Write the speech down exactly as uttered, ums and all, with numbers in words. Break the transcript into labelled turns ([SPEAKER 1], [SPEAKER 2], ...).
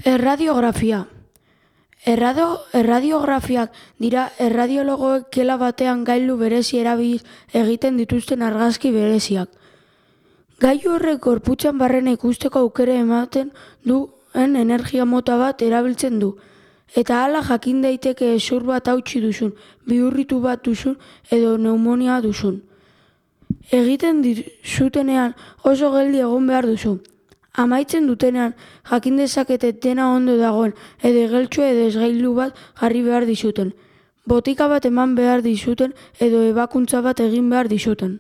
[SPEAKER 1] Erradiografia. Errado, erradiografiak dira erradiologoek kela batean gailu berezi erabiliz egiten dituzten argazki bereziak. Gailu horrek gorputzan barrena ikusteko aukera ematen duen energia mota bat erabiltzen du, eta hala jakin daiteke hezur bat hautsi duzun, bihurritu bat duzun edo pneumonia duzun. Egiten dizutenean oso geldi egon behar duzu. Amaitzen dutenean jakin dezakete dena ondo dagoen edo igeltsu edo esgailu bat jarri behar dizuten, botika bat eman behar dizuten edo ebakuntza bat egin behar dizuten.